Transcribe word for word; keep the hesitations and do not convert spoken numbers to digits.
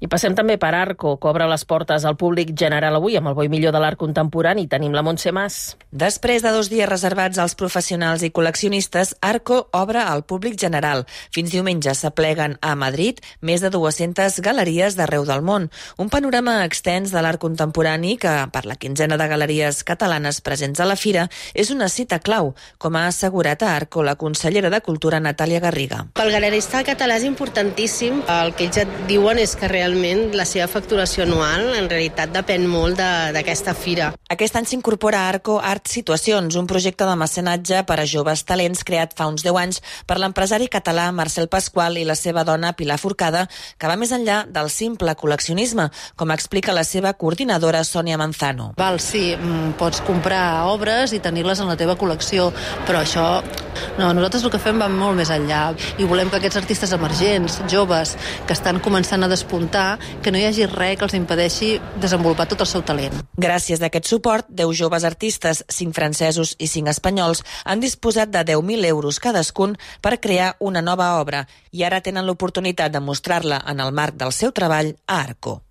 I passem també per Arco, que obre les portes al públic general avui amb el bo i millor de l'art contemporani. Tenim la Montse Mas. Després de dos dies reservats als professionals i col·leccionistes, Arco obre al públic general. Fins diumenge s'apleguen a Madrid més de dues-centes galeries d'arreu del món. Un panorama extens de l'art contemporani que, per la quinzena de galeries catalanes presents a la fira, és una cita clau, com ha assegurat a Arco la consellera de Cultura Natàlia Garriga. Pel galerista català és importantíssim. El que ells et diuen és que realment la seva facturació anual en realitat depèn molt d'aquesta fira. Aquest any s'incorpora a Arco Art Situacions, un projecte de mecenatge per a joves talents creat fa uns deu anys per l'empresari català Marcel Pasqual i la seva dona Pilar Forcada, que va més enllà del simple col·leccionisme, com explica la seva coordinadora Sònia Manzano. Val, sí, pots comprar obres i tenir-les en la teva col·lecció, però això, no, nosaltres el que fem va molt més enllà i volem que aquests artistes emergents, joves, que estan començant a despuntar, que no hi hagi res que els impedeixi desenvolupar tot el seu talent. Gràcies a aquest suport, deu joves artistes, cinc francesos i cinc espanyols, han disposat de deu mil euros cadascun per crear una nova obra i ara tenen l'oportunitat de mostrar-la en el marc del seu treball a Arco.